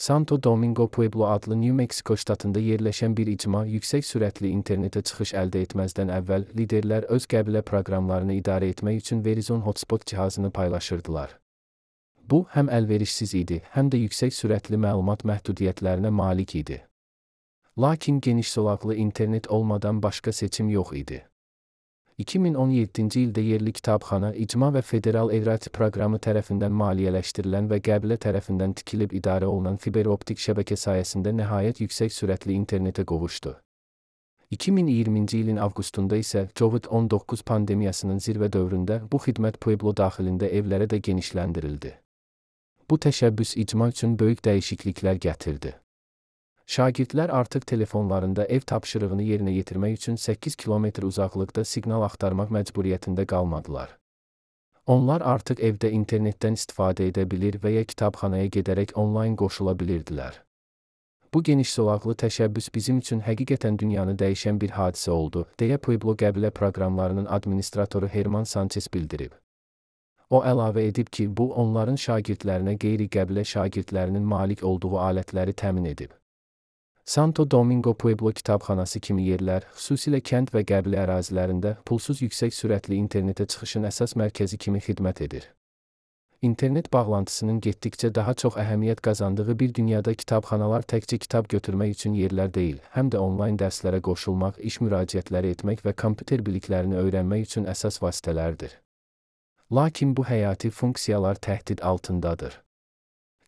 Santo Domingo Pueblo adlı New Mexico ştatında yerləşən bir icma yüksək sürətli internetə çıxış əldə etməzdən əvvəl liderlər öz qəbilə proqramlarını idarə etmək üçün Verizon Hotspot cihazını paylaşırdılar. Bu, həm əlverişsiz idi, həm də yüksək sürətli məlumat məhdudiyyətlərinə malik idi. Lakin geniş zolaqlı internet olmadan başqa seçim yox idi. 2017-ci ildə yerli kitabxana, icma və federal evrati proqramı tərəfindən maliyyələşdirilən və qəbilə tərəfindən tikilib idarə olunan fiberoptik şəbəkə sayəsində nəhayət yüksək sürətli internetə qovuşdu. 2020-ci ilin avqustunda isə COVID-19 pandemiyasının zirvə dövründə bu xidmət Pueblo daxilində evlərə də genişləndirildi. Bu təşəbbüs icma üçün böyük dəyişikliklər gətirdi. Şagirdlər artıq telefonlarında ev tapşırığını yerinə yetirmək üçün 8 kilometr uzaqlıqda siqnal axtarmaq məcburiyyətində qalmadılar. Onlar artıq evdə internetdən istifadə edə bilir və ya kitabxanaya gedərək onlayn qoşula bilirdilər. Bu geniş zolaqlı təşəbbüs bizim üçün həqiqətən dünyanı dəyişən bir hadisə oldu, deyə Pueblo qəbilə proqramlarının administratoru Herman Sanchez bildirib. O əlavə edib ki, bu onların şagirdlərinə qeyri-qəbilə şagirdlərinin malik olduğu alətləri təmin edib. Santo Domingo Pueblo kitabxanası kimi yerlər, xüsusilə kənd və qəbilə ərazilərində pulsuz yüksək sürətli internetə çıxışın əsas mərkəzi kimi xidmət edir. İnternet bağlantısının getdikcə daha çox əhəmiyyət qazandığı bir dünyada kitabxanalar təkcə kitab götürmək üçün yerlər deyil, həm də onlayn dərslərə qoşulmaq, iş müraciətləri etmək və kompüter biliklərini öyrənmək üçün əsas vasitələrdir. Lakin bu həyati funksiyalar təhdid altındadır.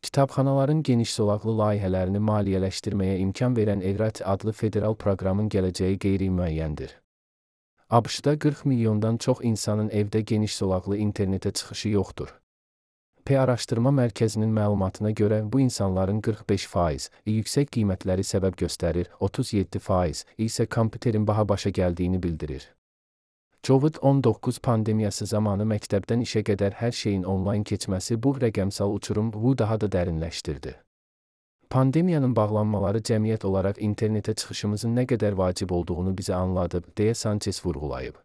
Kitabxanaların geniş zolaqlı layihələrini maliyyələşdirməyə imkan verən Evrati adlı federal proqramın gələcəyi qeyri-müəyyəndir. ABŞ-da 40 milyondan çox insanın evdə geniş zolaqlı internetə çıxışı yoxdur. Araşdırma mərkəzinin məlumatına görə bu insanların 45% yüksək qiymətləri səbəb göstərir, 37% isə kompüterin baha başa gəldiyini bildirir. COVID-19 pandemiyası zamanı məktəbdən işə qədər hər şeyin onlayn keçməsi bu rəqəmsal uçurumu daha da dərinləşdirdi. Pandemiyanın bağlanmaları cəmiyyət olaraq internetə çıxışımızın nə qədər vacib olduğunu bizə anladıb, deyə Sanchez vurğulayıb.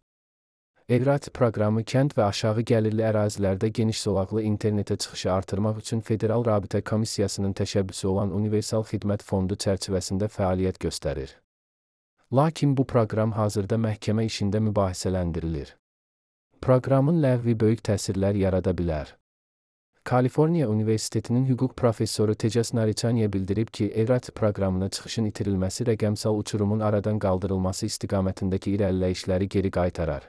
Evrati proqramı kənd və aşağı gəlirli ərazilərdə geniş zolaqlı internetə çıxışı artırmaq üçün Federal Rabitə Komissiyasının təşəbbüsü olan Universal Xidmət Fondu çərçivəsində fəaliyyət göstərir. Lakin bu proqram hazırda məhkəmə işində mübahisələndirilir. Proqramın ləğvi böyük təsirlər yarada bilər. Kaliforniya Universitetinin hüquq professoru Tejas Narichania bildirib ki, Evrati proqramına çıxışın itirilməsi rəqəmsal uçurumun aradan qaldırılması istiqamətindəki irəliləyişləri geri qaytarar.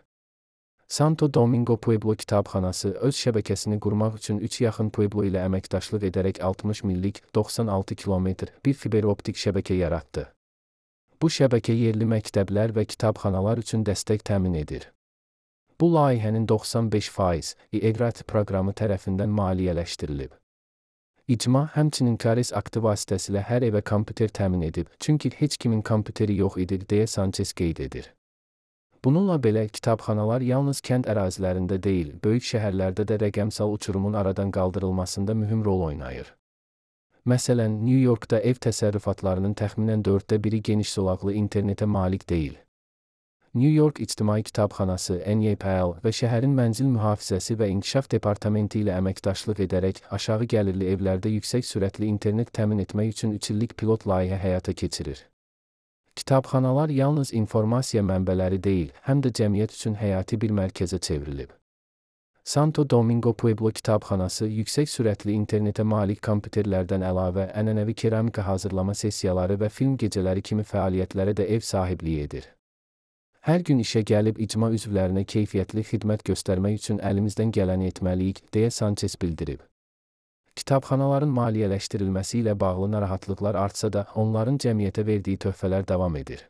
Santo Domingo Pueblo kitabxanası öz şəbəkəsini qurmaq üçün 3 yaxın Pueblo ilə əməkdaşlıq edərək 60 millik 96 kilometr bir fiberoptik şəbəkə yaratdı. Bu şəbəkə yerli məktəblər və kitabxanalar üçün dəstək təmin edir. Bu layihənin 95% Evrati proqramı tərəfindən maliyyələşdirilib. İcma həmçinin Kares aktı vasitəsilə hər evə kompüter təmin edib, çünki heç kimin kompüteri yox idi, deyə Sanchez qeyd edir. Bununla belə kitabxanalar yalnız kənd ərazilərində deyil, böyük şəhərlərdə də rəqəmsal uçurumun aradan qaldırılmasında mühüm rol oynayır. Məsələn, New Yorkda ev təsərrüfatlarının təxminən 1/4 geniş zolaqlı internetə malik deyil. New York İctimai Kitabxanası (NYPL) və şəhərin mənzil mühafizəsi və inkişaf departamenti ilə əməkdaşlıq edərək aşağı gəlirli evlərdə yüksək sürətli internet təmin etmək üçün 3 illik pilot layihə həyata keçirir. Kitabxanalar yalnız informasiya mənbələri deyil, həm də cəmiyyət üçün həyati bir mərkəzə çevrilib. Santo Domingo Pueblo kitabxanası yüksək sürətli internetə malik kompüterlərdən əlavə ənənəvi keramika hazırlama sessiyaları və film gecələri kimi fəaliyyətlərə də ev sahibliyi edir. Hər gün işə gəlib icma üzvlərinə keyfiyyətli xidmət göstərmək üçün əlimizdən gələni etməliyik, deyə Sanchez bildirib. Kitabxanaların maliyyələşdirilməsi ilə bağlı narahatlıqlar artsa da, onların cəmiyyətə verdiyi töhfələr davam edir.